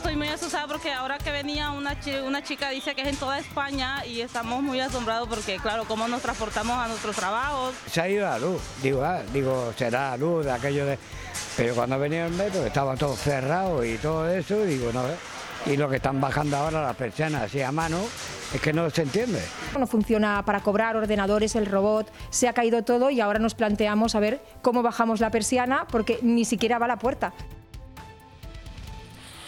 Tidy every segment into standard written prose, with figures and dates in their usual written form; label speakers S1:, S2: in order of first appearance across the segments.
S1: estoy muy asustada porque ahora que venía una chica dice que es en toda España y estamos muy asombrados porque, claro, cómo nos transportamos a nuestros trabajos.
S2: Se ha ido la luz, digo, será la luz de aquello de... Pero cuando venía el metro estaba todo cerrado y todo eso, digo, no sé. Y lo que están bajando ahora las persianas así a mano, es que no se entiende.
S3: No funciona para cobrar ordenadores, el robot, se ha caído todo y ahora nos planteamos a ver cómo bajamos la persiana porque ni siquiera va a la puerta.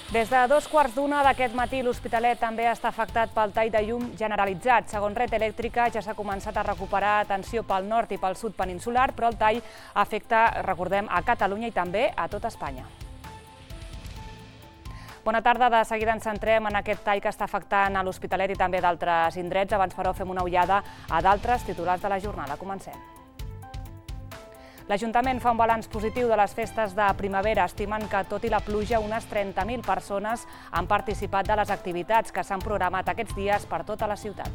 S4: Des de 2:15 d'aquest matí, l'Hospitalet també està afectat pel tall de llum generalitzat. Segons Red Elèctrica, ja s'ha començat a recuperar atenció pel nord i pel sud peninsular, però el tall afecta, recordem, a Catalunya i també a tot Espanya. Bona tarda, de seguida ens centrem en aquest tall que està afectant a l'Hospitalet i també d'altres indrets. Abans, però, fem una ullada a d'altres titulars de la jornada. Comencem. L'Ajuntament fa un balanç positiu de les festes de primavera, estimen que, tot i la pluja, unes 30.000 persones han participat de les activitats que s'han programat aquests dies per tota la ciutat.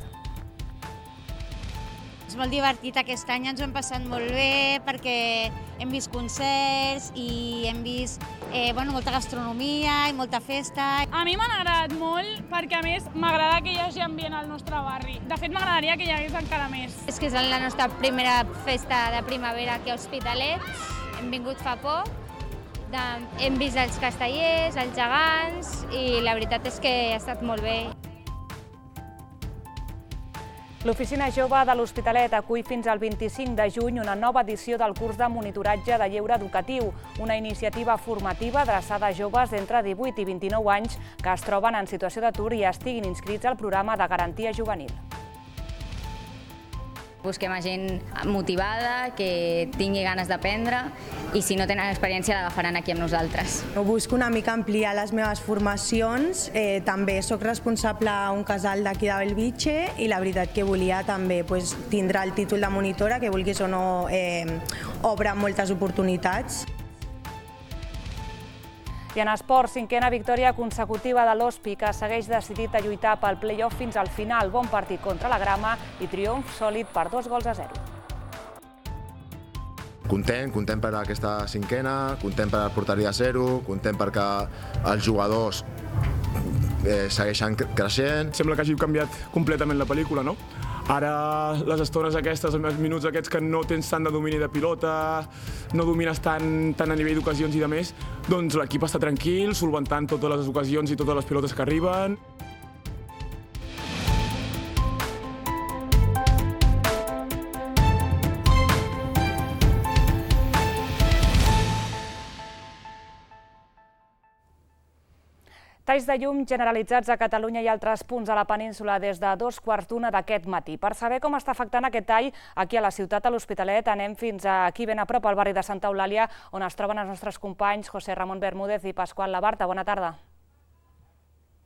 S5: És molt divertit aquest any, ens ho hem passat molt bé perquè hem vist concerts i hem vist molta gastronomia i molta festa.
S6: A mi m'ha agradat molt perquè, a més, m'agrada que hi hagi ambient al nostre barri. De fet, m'agradaria que hi hagués encara més.
S5: És que és la nostra primera festa de primavera aquí a Hospitalet. Hem vingut fa poc, hem vist els castellers, els gegants i la veritat és que ha estat molt bé.
S4: L'Oficina Jove de l'Hospitalet acull fins al 25 de juny una nova edició del curs de monitoratge de lleure educatiu, una iniciativa formativa adreçada a joves d'entre 18 i 29 anys que es troben en situació d'atur i estiguin inscrits al programa de garantia juvenil.
S7: Busquem a gent motivada, que tingui ganes d'aprendre i si no tenen experiència l'agafaran aquí amb nosaltres.
S8: Busco una mica ampliar les meves formacions, també soc responsable a un casal d'aquí de Bellvitge i la veritat que volia també tindre el títol de monitora, que vulguis o no obre moltes oportunitats.
S4: I en esport, 5a victòria consecutiva de l'Hospi, que segueix decidit a lluitar pel play-off fins al final. Bon partit contra la Grama i triomf sòlid per 2-0.
S9: Content per aquesta 5a, content per la porteria 0, content perquè els jugadors segueixen creixent.
S10: Sembla que hagi canviat completament la pel·lícula, no? Ara, les estones aquestes, els minuts aquests que no tens tant de domini de pilota, no domines tant a nivell d'ocasions i de més, doncs l'equip està tranquil, solventant totes les ocasions i totes les pilotes que arriben.
S4: Talls de llum generalitzats a Catalunya i altres punts a la península des de 2:15 d'aquest matí. Per saber com està afectant aquest tall aquí a la ciutat, a l'Hospitalet, anem fins aquí ben a prop, al barri de Santa Eulàlia, on es troben els nostres companys José Ramón Bermúdez i Pasqual Labarta. Bona tarda.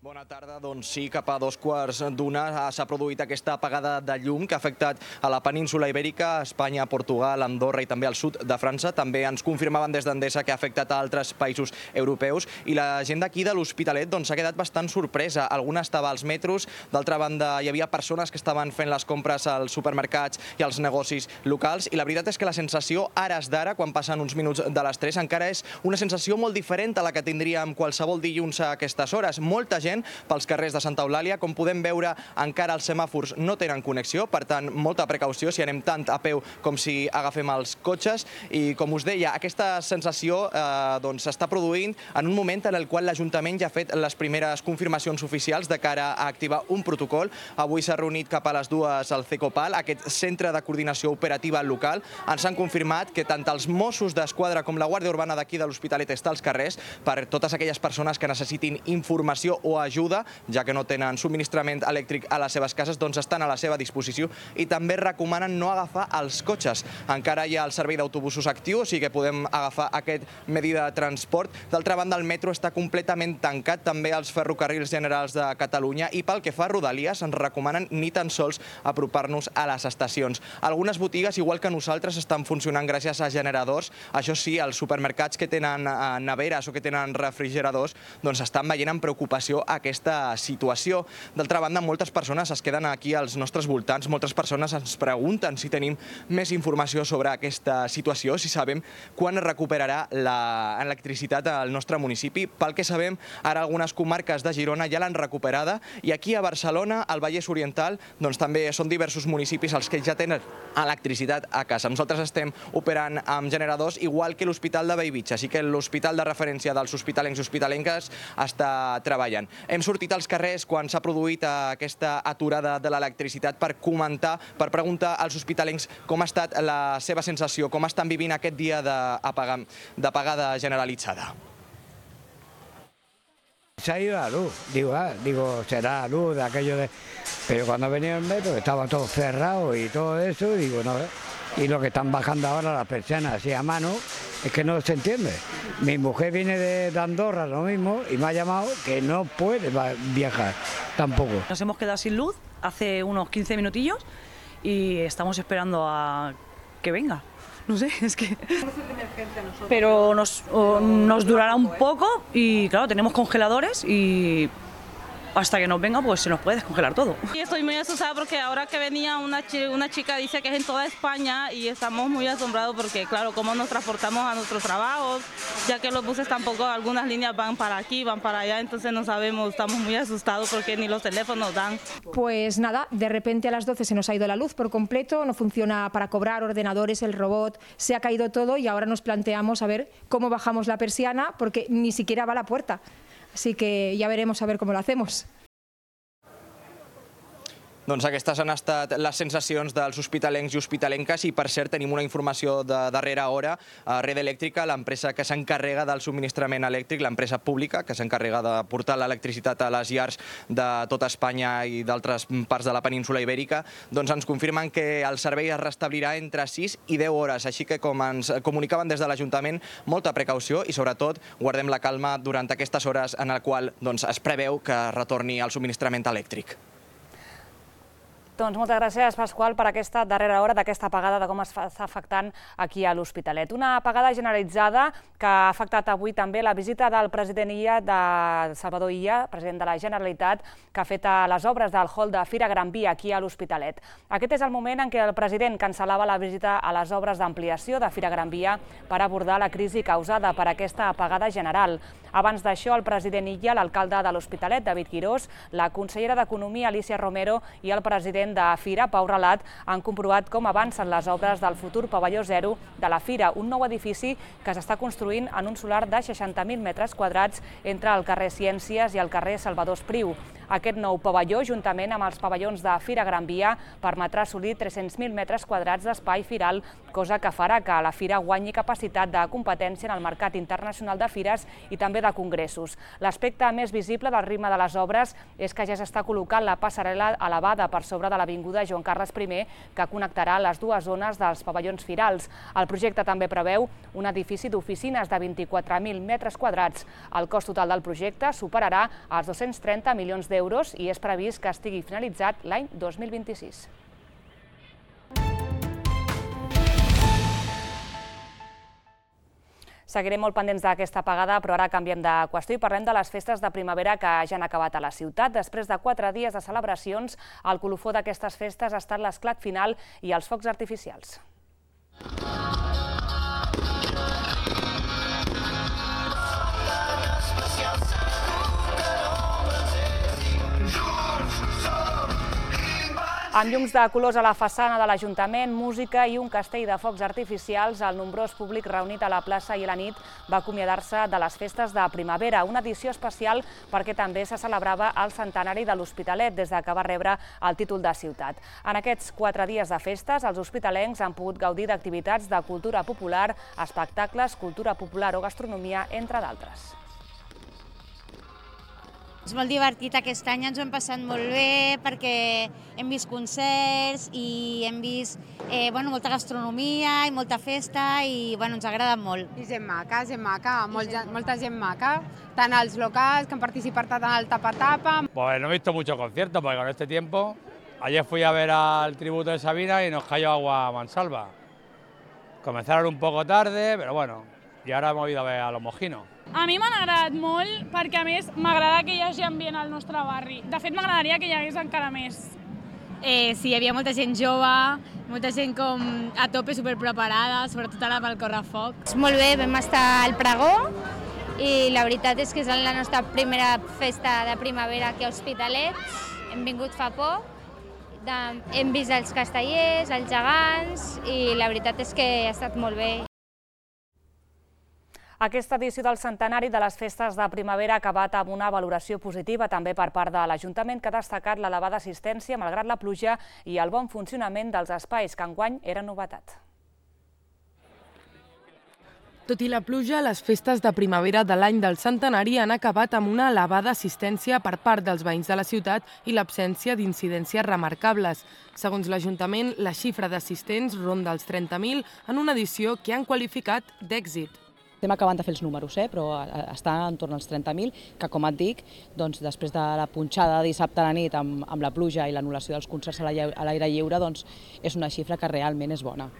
S11: Bona tarda. Doncs sí, cap a 2:15 s'ha produït aquesta apagada de llum que ha afectat a la península ibèrica, Espanya, Portugal, Andorra i també al sud de França. També ens confirmaven des d'Endesa que ha afectat a altres països europeus i la gent d'aquí de l'Hospitalet s'ha quedat bastant sorpresa. Alguna estava als metros, d'altra banda hi havia persones que estaven fent les compres als supermercats i als negocis locals i la veritat és que la sensació ara d'ara, quan passen uns minuts de les 3, encara és una sensació molt diferent a la que tindríem qualsevol dilluns a aquestes hores. Molta gent pels carrers de Santa Eulàlia. Com podem veure, encara els semàfors no tenen connexió, per tant, molta precaució si anem tant a peu com si agafem els cotxes. I, com us deia, aquesta sensació s'està produint en un moment en el qual l'Ajuntament ja ha fet les primeres confirmacions oficials de cara a activar un protocol. Avui s'ha reunit cap a les 2 al CECOPAL, aquest centre de coordinació operativa local. Ens han confirmat que tant els Mossos d'Esquadra com la Guàrdia Urbana d'aquí de l'Hospitalet està als carrers per totes aquelles persones que necessitin informació o ajuda, ja que no tenen subministrament elèctric a les seves cases, doncs estan a la seva disposició i també recomanen no agafar els cotxes. Encara hi ha el servei d'autobusos actiu, o sigui que podem agafar aquest medi de transport. D'altra banda, el metro està completament tancat, també els ferrocarrils generals de Catalunya, i pel que fa a Rodalies ens recomanen ni tan sols apropar-nos a les estacions. Algunes botigues, igual que nosaltres, estan funcionant gràcies a generadors. Això sí, els supermercats que tenen neveres o que tenen refrigeradors doncs estan veient amb preocupació aquesta situació. D'altra banda, moltes persones es queden aquí als nostres voltants, moltes persones ens pregunten si tenim més informació sobre aquesta situació, si sabem quan es recuperarà l'electricitat al nostre municipi. Pel que sabem, ara algunes comarques de Girona ja l'han recuperada i aquí a Barcelona, al Vallès Oriental, doncs també són diversos municipis els que ja tenen electricitat a casa. Nosaltres estem operant amb generadors, igual que l'Hospital de Bellvitge, així que l'hospital de referència dels hospitalencs i hospitalenques està treballant. Hem sortit als carrers quan s'ha produït aquesta aturada de l'electricitat per comentar, per preguntar als hospitalencs com ha estat la seva sensació, com estan vivint aquest dia d'apagada generalitzada.
S2: Se ha ido la luz, digo, será la luz de aquello de... Pero cuando venía el metro estaba todo cerrado y todo eso, digo, no sé. Y lo que están bajando ahora las persianas así a mano, es que no se entiende. Mi mujer viene de Andorra, lo mismo, y me ha llamado que no puede viajar tampoco.
S12: Nos hemos quedado sin luz hace unos 15 minutillos y estamos esperando a que venga. No sé, es que... Pero nos durará un poco y claro, tenemos congeladores y hasta que nos venga pues se nos puede descongelar todo.
S1: Y estoy muy asustada porque ahora que venía una chica dice que es en toda España y estamos muy asombrados porque claro, cómo nos transportamos a nuestros trabajos, ya que los buses tampoco, algunas líneas van para aquí, van para allá, entonces no sabemos, estamos muy asustados porque ni los teléfonos dan.
S3: Pues nada, de repente a las 12 se nos ha ido la luz por completo, no funciona para cobrar ordenadores, el robot, se ha caído todo y ahora nos planteamos a ver cómo bajamos la persiana porque ni siquiera va a la puerta. Así que ya veremos a ver cómo lo hacemos.
S11: Doncs aquestes han estat les sensacions dels hospitalencs i hospitalenques i, per cert, tenim una informació de darrera hora. Red Eléctrica, l'empresa que s'encarrega del subministrament elèctric, l'empresa pública que s'encarrega de portar l'electricitat a les llars de tota Espanya i d'altres parts de la península Ibèrica, doncs ens confirmen que el servei es restablirà entre 6 i 10 hores. Així que, com ens comunicaven des de l'Ajuntament, molta precaució i, sobretot, guardem la calma durant aquestes hores en el qual es preveu que retorni el subministrament elèctric.
S4: Doncs moltes gràcies, Pasqual, per aquesta darrera hora d'aquesta apagada, de com està afectant aquí a l'Hospitalet. Una apagada generalitzada que ha afectat avui també la visita del president Salvador Illa, president de la Generalitat, que ha fet les obres del hall de Fira Gran Via aquí a l'Hospitalet. Aquest és el moment en què el president cancel·lava la visita a les obres d'ampliació de Fira Gran Via per abordar la crisi causada per aquesta apagada general. Abans d'això, el president Illa, l'alcalde de l'Hospitalet, David Quirós, la consellera d'Economia, Alicia Romero, i el president de Fira, Pau Relat, han comprovat com avancen les obres del futur pavelló zero de la Fira, un nou edifici que s'està construint en un solar de 60.000 metres quadrats entre el carrer Ciències i el carrer Salvador Espriu. Aquest nou pavelló, juntament amb els pavellons de Fira Gran Via, permetrà assolir 300.000 metres quadrats d'espai firal, cosa que farà que la Fira guanyi capacitat de competència en el mercat internacional de fires i també de congressos. L'aspecte més visible del ritme de les obres és que ja s'està col·locant la passarel·la elevada per sobre de l'avinguda Joan Carles I, que connectarà les dues zones dels pavellons firals. El projecte també preveu un edifici d'oficines de 24.000 metres quadrats. El cost total del projecte superarà els 230 milions d'euros i és previst que estigui finalitzat l'any 2026. Seguirem molt pendents d'aquesta apagada, però ara canviem de qüestió i parlem de les festes de primavera que ja han acabat a la ciutat. Després de 4 dies de celebracions, el colofó d'aquestes festes ha estat l'esclat final i els focs artificials. Amb llums de colors a la façana de l'Ajuntament, música i un castell de focs artificials, el nombrós públic reunit a la plaça i a la nit va acomiadar-se de les festes de primavera, una edició especial perquè també se celebrava el centenari de l'Hospitalet des que va rebre el títol de ciutat. En aquests 4 dies de festes, els hospitalencs han pogut gaudir d'activitats de cultura popular, espectacles, cultura popular o gastronomia, entre d'altres.
S13: És molt divertit aquest any, ens ho hem passat molt bé perquè hem vist concerts i hem vist molta gastronomia i molta festa i ens ha agradat molt.
S14: I gent maca, molta gent maca, tant els locals que han participat en el tapa-tapa.
S15: Pues no he visto muchos conciertos porque con este tiempo, ayer fui a ver al tributo de Sabina y nos cayó agua a mansalva. Comenzaron un poco tarde, pero bueno, y ahora hemos ido a ver a los mojinos.
S6: A mi m'han agradat molt perquè, a més, m'agrada que hi hagi ambient al nostre barri. De fet, m'agradaria que hi hagués encara més.
S16: Sí, hi havia molta gent jove, molta gent com a tope, superpreparada, sobretot ara pel correfoc.
S5: Molt bé, vam estar al pregó i la veritat és que és la nostra primera festa de primavera aquí a Hospitalet. Hem vingut fa poc, hem vist els castellers, els gegants i la veritat és que ha estat molt bé.
S4: Aquesta edició del centenari de les festes de primavera ha acabat amb una valoració positiva també per part de l'Ajuntament, que ha destacat l'elevada assistència malgrat la pluja i el bon funcionament dels espais, que enguany era novetat.
S17: Tot i la pluja, les festes de primavera de l'any del centenari han acabat amb una elevada assistència per part dels veïns de la ciutat i l'absència d'incidències remarcables. Segons l'Ajuntament, la xifra d'assistents ronda els 30.000 en una edició que han qualificat d'èxit.
S18: Estem acabant de fer els números, però està entorn als 30.000, que, com et dic, després de la punxada de dissabte a la nit amb la pluja i l'anul·lació dels concerts a l'aire lliure, és una xifra que realment és bona.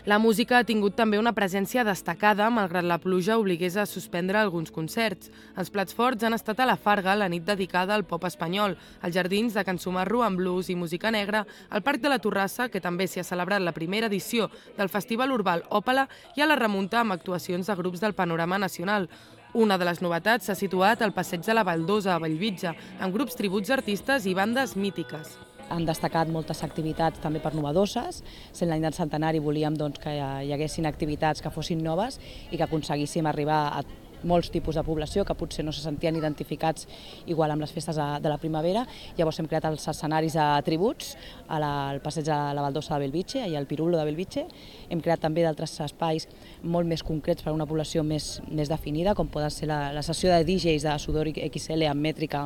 S17: La música ha tingut també una presència destacada, malgrat la pluja obligués a suspendre alguns concerts. Els plats forts han estat a la Farga, la nit dedicada al pop espanyol, als jardins de Can Sumarro amb blues i música negra, al Parc de la Torrassa, que també s'hi ha celebrat la primera edició del Festival Urbà Òpala, i a la Remunta amb actuacions de grups del panorama nacional. Una de les novetats s'ha situat al Passeig de la Baldosa, a Bellvitge, amb grups tributs artistes i bandes mítiques.
S18: Han destacat moltes activitats també per novedoses. Sent l'any del centenari volíem que hi haguessin activitats que fossin noves i que aconseguíssim arribar a molts tipus de població que potser no se sentien identificats igual amb les festes de la primavera. Llavors hem creat els escenaris de tributs al Passeig de la Baldosa de Bellvitge i al Pirulo de Bellvitge. Hem creat també d'altres espais molt més concrets per a una població més definida, com poden ser la sessió de DJs de Sudor XL amb mètrica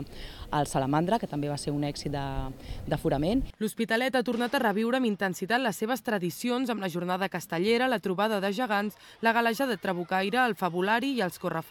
S18: al Salamandra, que també va ser un èxit d'aforament.
S17: L'Hospitalet ha tornat a reviure amb intensitat les seves tradicions amb la jornada castellera, la trobada de gegants, la galeja de trabucaire, el fabulari i els correfocs.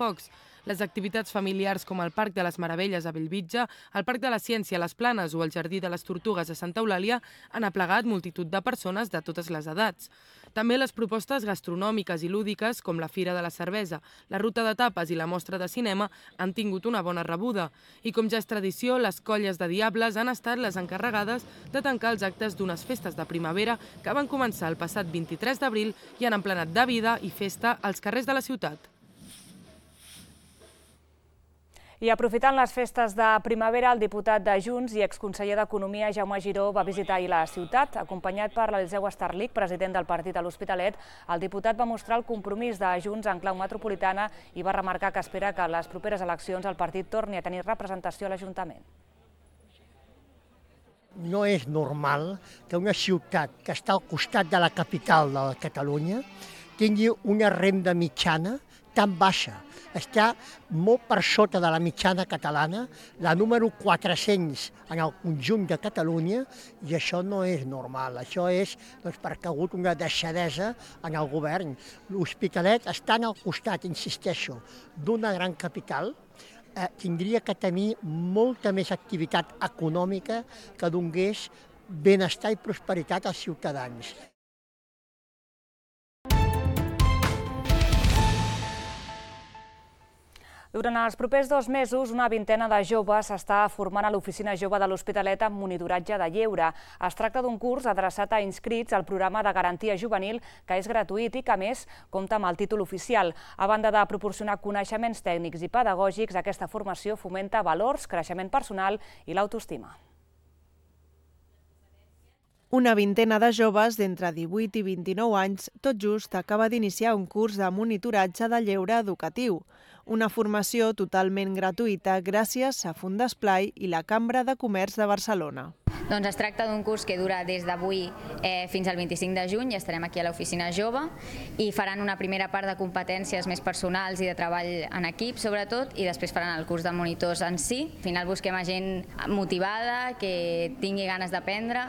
S17: Les activitats familiars com el Parc de les Meravelles a Bellvitge, el Parc de la Ciència a les Planes o el Jardí de les Tortugues a Santa Eulàlia han aplegat multitud de persones de totes les edats. També les propostes gastronòmiques i lúdiques, com la Fira de la Cervesa, la Ruta de Tapes i la Mostra de Cinema, han tingut una bona rebuda. I com ja és tradició, les colles de diables han estat les encarregades de tancar els actes d'unes festes de primavera que van començar el passat 23 d'abril i han emplenat de vida i festa als carrers de la ciutat.
S4: I aprofitant les festes de primavera, el diputat de Junts i exconseller d'Economia, Jaume Giró, va visitar ahir la ciutat. Acompanyat per l'Eliseu Estarlich, president del partit a l'Hospitalet, el diputat va mostrar el compromís de Junts en clau metropolitana i va remarcar que espera que a les properes eleccions el partit torni a tenir representació a l'Ajuntament.
S19: No és normal que una ciutat que està al costat de la capital de Catalunya tingui una renda mitjana tan baixa. Està molt per sota de la mitjana catalana, la número 400 en el conjunt de Catalunya, i això no és normal. Això és perquè ha hagut una deixadesa en el govern. L'Hospitalet, estant al costat, insisteixo, d'una gran capital, tindria que tenir molta més activitat econòmica que donés benestar i prosperitat als ciutadans.
S4: Durant els propers 2 mesos, una vintena de joves s'està formant a l'Oficina Jove de l'Hospitalet amb monitoratge de lleure. Es tracta d'un curs adreçat a inscrits al programa de garantia juvenil, que és gratuït i que, a més, compta amb el títol oficial. A banda de proporcionar coneixements tècnics i pedagògics, aquesta formació fomenta valors, creixement personal i l'autoestima.
S20: Una vintena de joves d'entre 18 i 29 anys tot just acaba d'iniciar un curs de monitoratge de lleure educatiu. Una formació totalment gratuïta gràcies a Fundesplai i la Cambra de Comerç de Barcelona.
S7: Doncs es tracta d'un curs que dura des d'avui fins al 25 de juny, i estarem aquí a l'Oficina Jove, i faran una primera part de competències més personals i de treball en equip, sobretot, i després faran el curs de monitors en si. Al final busquem a gent motivada, que tingui ganes d'aprendre,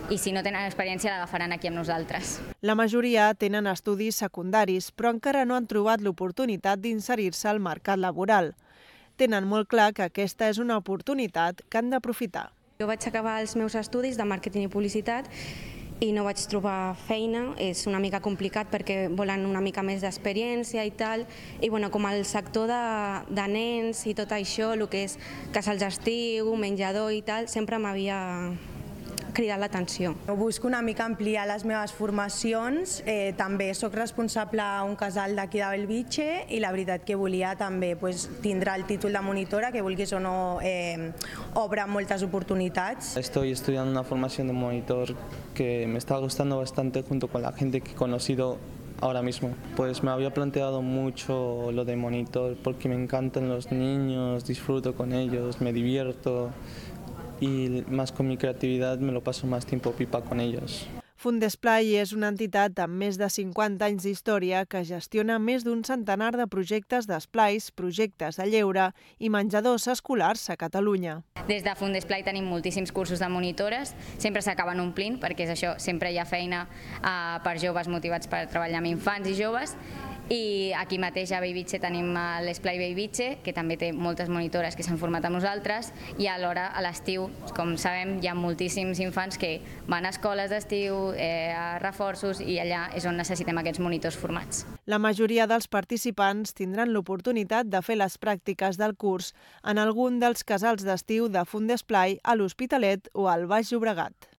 S7: i si no tenen experiència l'agafaran aquí amb nosaltres.
S20: La majoria tenen estudis secundaris, però encara no han trobat l'oportunitat d'inserir-se al mercat laboral. Tenen molt clar que aquesta és una oportunitat que han d'aprofitar.
S21: Jo vaig acabar els meus estudis de màrqueting i publicitat i no vaig trobar feina. És una mica complicat perquè volen una mica més d'experiència i tal, i bueno, com el sector de nens i tot això, el que és casals d'estiu, menjador i tal, sempre m'havia cridat l'atenció.
S8: Busco una mica ampliar les meves formacions, també soc responsable a un casal d'aquí de Bellvitge i la veritat que volia també tindre el títol de monitora, que vulguis o no obre moltes oportunitats.
S22: Estoy estudiando una formación de monitor que me está gustando bastante junto con la gente que he conocido ahora mismo. Pues me había planteado mucho lo de monitor porque me encantan los niños, disfruto con ellos, me divierto. Y más con mi creatividad me lo paso más tiempo pipa con ellos.
S20: Fundesplai és una entitat amb més de 50 anys d'història que gestiona més d'un centenar de projectes d'esplais, projectes de lleure i menjadors escolars a Catalunya.
S7: Des de Fundesplai tenim moltíssims cursos de monitores, sempre s'acaben omplint perquè és això, sempre hi ha feina per joves motivats per treballar amb infants i joves. I aquí mateix a Bellvitge tenim l'Esplai Bellvitge, que també té moltes monitores que s'han format amb nosaltres, i alhora a l'estiu, com sabem, hi ha moltíssims infants que van a escoles d'estiu, a reforços, i allà és on necessitem aquests monitors formats.
S20: La majoria dels participants tindran l'oportunitat de fer les pràctiques del curs en algun dels casals d'estiu de Fundesplai a l'Hospitalet o al Baix Llobregat.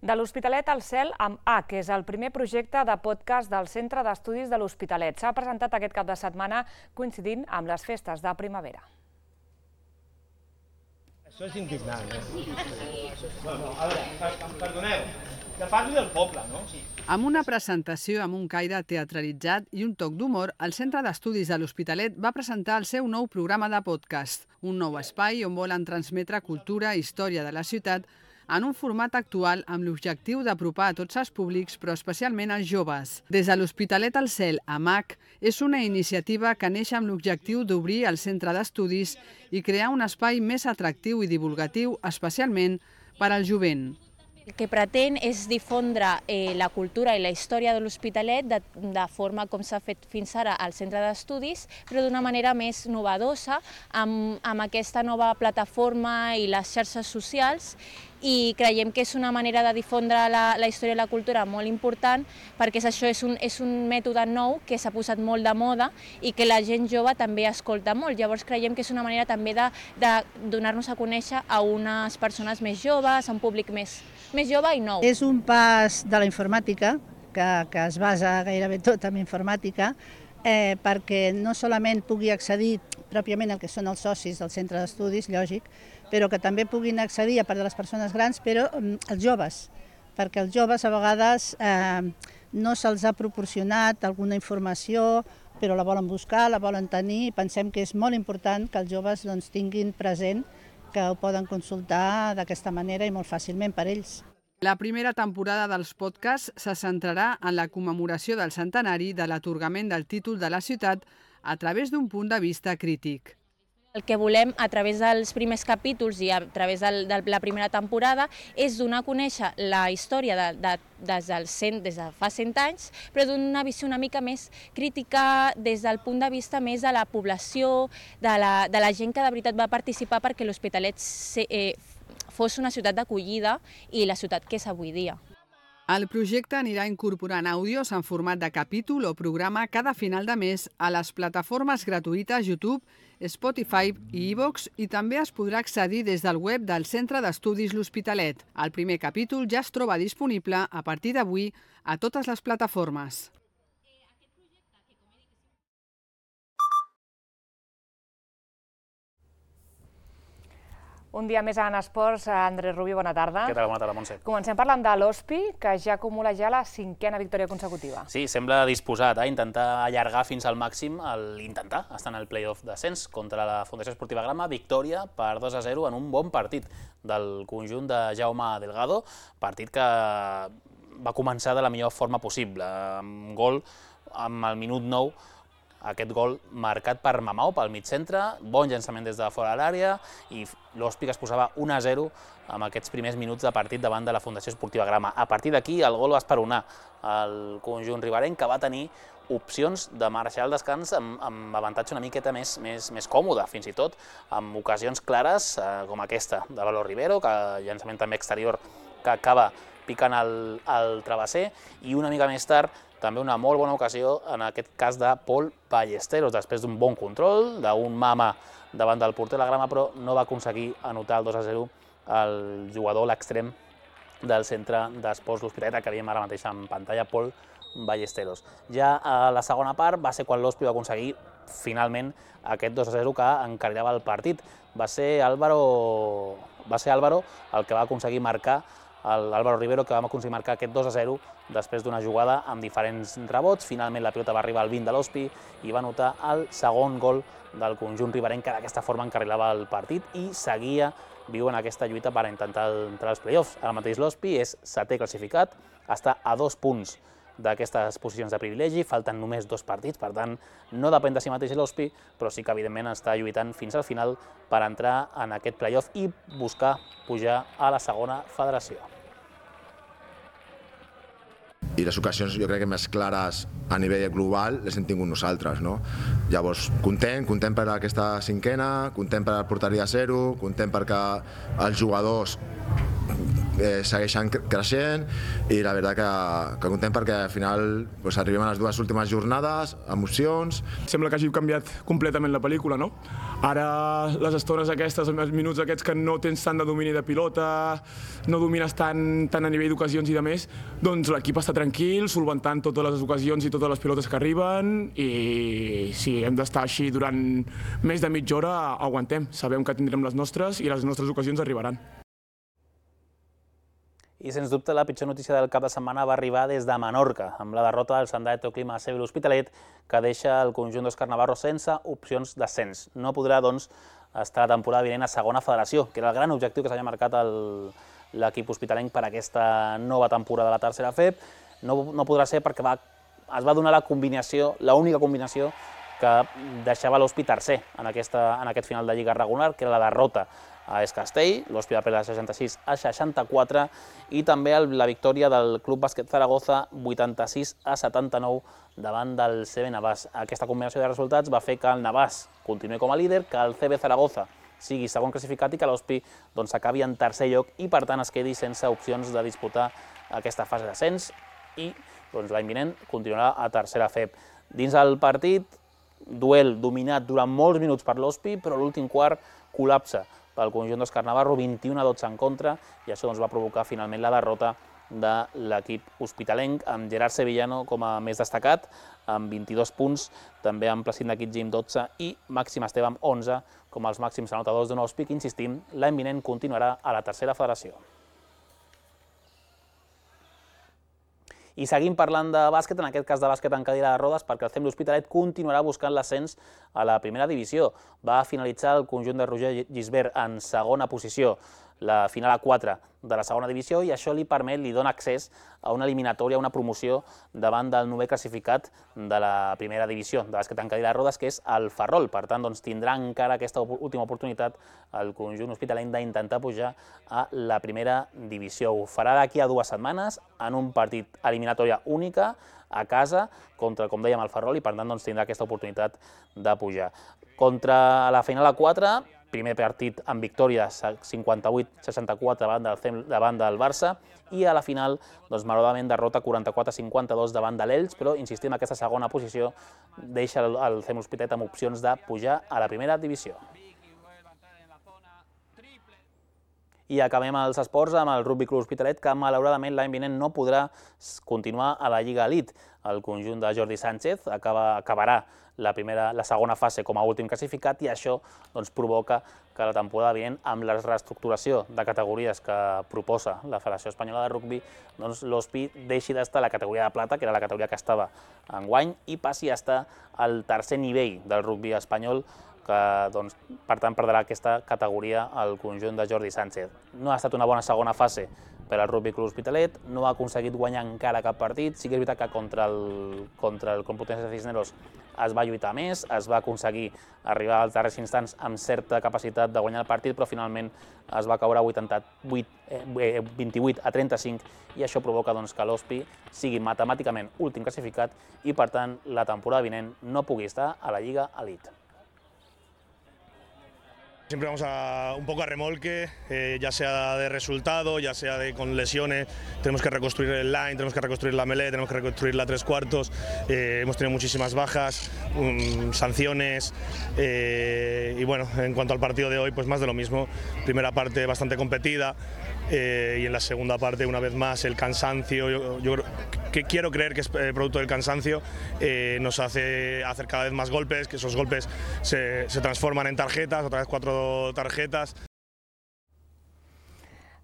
S4: De l'Hospitalet al cel amb A, que és el primer projecte de podcast del Centre d'Estudis de l'Hospitalet. S'ha presentat aquest cap de setmana coincidint amb les festes de primavera.
S23: Això és indignant, A veure, perdoneu, que parli del poble, no?
S24: Amb una presentació amb un caire teatralitzat i un toc d'humor, el Centre d'Estudis de l'Hospitalet va presentar el seu nou programa de podcast, un nou espai on volen transmetre cultura i història de la ciutat en un format actual amb l'objectiu d'apropar a tots els públics, però especialment als joves. Des de l'Hospitalet al cel, AMAC, és una iniciativa que neix amb l'objectiu d'obrir el centre d'estudis i crear un espai més atractiu i divulgatiu, especialment per al jovent.
S25: El que pretén és difondre la cultura i la història de l'Hospitalet de forma com s'ha fet fins ara al centre d'estudis, però d'una manera més novedosa, amb aquesta nova plataforma i les xarxes socials, i creiem que és una manera de difondre la història i la cultura molt important, perquè això és un mètode nou que s'ha posat molt de moda i que la gent jove també escolta molt. Llavors creiem que és una manera també de donar-nos a conèixer a unes persones més joves, a un públic més jove i nou.
S26: És un pas de la informàtica, que es basa gairebé tot en informàtica, perquè no solament pugui accedir pròpiament al que són els socis del centre d'estudis, lògic, però que també puguin accedir, a part de les persones grans, però els joves, perquè els joves a vegades no se'ls ha proporcionat alguna informació, però la volen buscar, la volen tenir, i pensem que és molt important que els joves tinguin present que ho poden consultar d'aquesta manera i molt fàcilment per ells.
S24: La primera temporada dels podcasts se centrarà en la commemoració del centenari de l'atorgament del títol de la ciutat a través d'un punt de vista crític.
S25: El que volem, a través dels primers capítols i a través de la primera temporada, és donar a conèixer la història des de fa 100 anys, però d'una visió una mica més crítica des del punt de vista més de la població, de la gent que de veritat va participar perquè l'Hospitalet fos una ciutat d'acollida i la ciutat que és avui dia.
S24: El projecte anirà incorporant àudios en format de capítol o programa cada final de mes a les plataformes gratuïtes YouTube, Spotify i iVoox, i també es podrà accedir des del web del Centre d'Estudis L'Hospitalet. El primer capítol ja es troba disponible a partir d'avui a totes les plataformes.
S4: Un dia més en esports, Andrés Rubio, bona tarda.
S27: Què tal? Bona tarda, Montse.
S4: Comencem parlant de l'Hospi, que ja acumula la 5a victòria consecutiva.
S27: Sí, sembla disposat a intentar allargar fins al màxim l'intentar estar en el play-off d'ascens contra la Fundació Esportiva Grama. Victòria per 2-0 en un bon partit del conjunt de Jaume Delgado, partit que va començar de la millor forma possible, amb gol amb el minut 9, aquest gol marcat per Mamau, pel mig centre, bon llançament des de fora de l'àrea, i l'Hospi que es posava 1-0 amb aquests primers minuts de partit davant de la Fundació Esportiva Grama. A partir d'aquí el gol va esperonar el conjunt riberenc, que va tenir opcions de marxar al descans amb avantatge una miqueta més còmode, fins i tot amb ocasions clares com aquesta de Valor Rivero, que llançament també exterior que acaba picant el travesser, i una mica més tard també una molt bona ocasió, en aquest cas de Pol Ballesteros, després d'un bon control, d'un mama davant del porter de la Grama, però no va aconseguir anotar el 2-0 el jugador, l'extrem del centre d'esports l'Hospitalet, que veiem ara mateix en pantalla, Pol Ballesteros. Ja a la segona part va ser quan l'Hospi va aconseguir finalment aquest 2-0 que encarrilava el partit. Va ser Álvaro el que va aconseguir marcar, l'Álvaro Rivero, que va aconseguir marcar aquest 2-0 després d'una jugada amb diferents rebots. Finalment la pilota va arribar al 20 de l'Hospi i va anotar el segon gol del conjunt riberenc, que d'aquesta forma encarrilava el partit i seguia viu en aquesta lluita per intentar entrar als play-offs. Ara mateix l'Hospi és setè classificat, està a 2 punts d'aquestes posicions de privilegi, falten només 2 partits, per tant no depèn de si mateix l'Hospi, però sí que evidentment està lluitant fins al final per entrar en aquest play-off i buscar pujar a la segona federació.
S1: I les ocasions, jo crec que més clares a nivell global les hem tingut nosaltres, no? Llavors, content per aquesta cinquena, content per la porteria zero, content perquè els jugadors segueixen creixent i la veritat que content perquè al final arribem a les 2 últimes jornades, emocions.
S2: Sembla que hagi canviat completament la pel·lícula, no? Ara les estones aquestes, els minuts aquests que no tens tant de domini de pilota, no domines tant a nivell d'ocasions i de més, doncs l'equip està tranquil, solventant totes les ocasions i totes les pilotes que arriben, i si hem d'estar així durant més de mitja hora, aguantem. Sabem que tindrem les nostres i les nostres ocasions arribaran.
S27: I, sens dubte, la pitjor notícia del cap de setmana va arribar des de Menorca, amb la derrota del Santa Clima Cebel Hospitalet, que deixa el conjunt d'Òscar Navarro sense opcions d'ascens. No podrà, doncs, estar la temporada vinent a segona federació, que era el gran objectiu que s'havia marcat l'equip hospitalenc per aquesta nova temporada de la tercera FEB. No podrà ser perquè es va donar la combinació, l'única combinació que deixava l'Hospi tercer en aquest final de Lliga regular, que era la derrota a Es Castell, l'Hospi va perdre 66-64, i també la victòria del Club Bàsquet Zaragoza 86-79 davant del CB Navàs. Aquesta combinació de resultats va fer que el Navàs continuï com a líder, que el CB Zaragoza sigui segon classificat i que l'Hospi acabi en tercer lloc i, per tant, es quedi sense opcions de disputar aquesta fase d'ascens i l'any vinent continuarà a tercera FEB. Dins el partit, duel dominat durant molts minuts per l'Hospi, però l'últim quart col·lapsa pel conjunt d'Òscar Navarro, 21-12 en contra, i això va provocar finalment la derrota de l'equip hospitalenc, amb Gerard Sevillano com a més destacat, amb 22 punts, també amb Placín de Quitgim 12 i Màxim Esteve amb 11 com els màxims anotadors d'un Hospi, que, insistim, l'any vinent continuarà a la tercera federació. I seguim parlant de bàsquet, en aquest cas de bàsquet en cadira de rodes, perquè el CEM l'Hospitalet continuarà buscant l'ascens a la primera divisió. Va finalitzar el conjunt de Roger Gisbert en segona posició, la final a 4 de la segona divisió, i això li dona accés a una eliminatòria, una promoció davant del 9è classificat de la primera divisió de bàsquet en cadira de rodes, que és el Ferrol. Per tant, tindrà encara aquesta última oportunitat el conjunt hospitalenc d'intentar pujar a la primera divisió. Ho farà d'aquí a 2 setmanes en un partit eliminatòria única a casa contra, com dèiem, el Ferrol, i per tant tindrà aquesta oportunitat de pujar. Contra la final a 4, primer partit amb victòria 58-64 davant del Barça, i a la final, malauradament, derrota 44-52 davant de l'Elx, però, insistim, aquesta segona posició deixa el CEM Hospitalet amb opcions de pujar a la primera divisió. I acabem els esports amb el Rugby Club Hospitalet, que malauradament l'any vinent no podrà continuar a la Lliga Elite. El conjunt de Jordi Sánchez acabarà la segona fase com a últim classificat, i això provoca que la temporada vinent, amb la reestructuració de categories que proposa la Federació Espanyola de Rugby, l'Hospi deixi d'estar a la categoria de plata, que era la categoria que estava enguany, i passi a estar al tercer nivell del rugby espanyol, que, per tant, perdrà aquesta categoria al conjunt de Jordi Sánchez. No ha estat una bona segona fase per al Rugby Club Hospitalet, no ha aconseguit guanyar encara cap partit. Sí que és veritat que contra el Complutense de Cisneros es va lluitar més, es va aconseguir arribar als darrers instants amb certa capacitat de guanyar el partit, però finalment es va caure 28-35, i això provoca que l'Hospi sigui matemàticament últim classificat i, per tant, la temporada vinent no pugui estar a la Lliga Elite.
S3: Siempre vamos un poco a remolque, ya sea de resultado, ya sea con lesiones. Tenemos que reconstruir el line, tenemos que reconstruir la melee, tenemos que reconstruir la 3/4. Hemos tenido muchísimas bajas, sanciones y bueno, en cuanto al partido de hoy, pues más de lo mismo. Primera parte bastante competida y en la segunda parte, una vez más, el cansancio. Yo quiero creer que es producto del cansancio, nos hace hacer cada vez más golpes, que esos golpes se transforman en tarjetas, otra vez 4 tarjetes.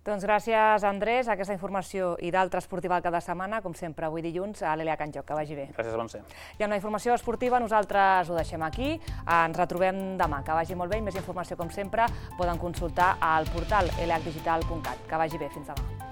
S4: Doncs gràcies, Andrés, a aquesta informació i d'altra esportiva cada setmana, com sempre, avui dilluns, a l'Elia Can Joc, que vagi bé.
S27: Gràcies, Montse.
S4: I amb la informació esportiva nosaltres ho deixem aquí, ens retrobem demà, que vagi molt bé i més informació, com sempre, poden consultar al portal lhdigital.cat. Que vagi bé, fins demà.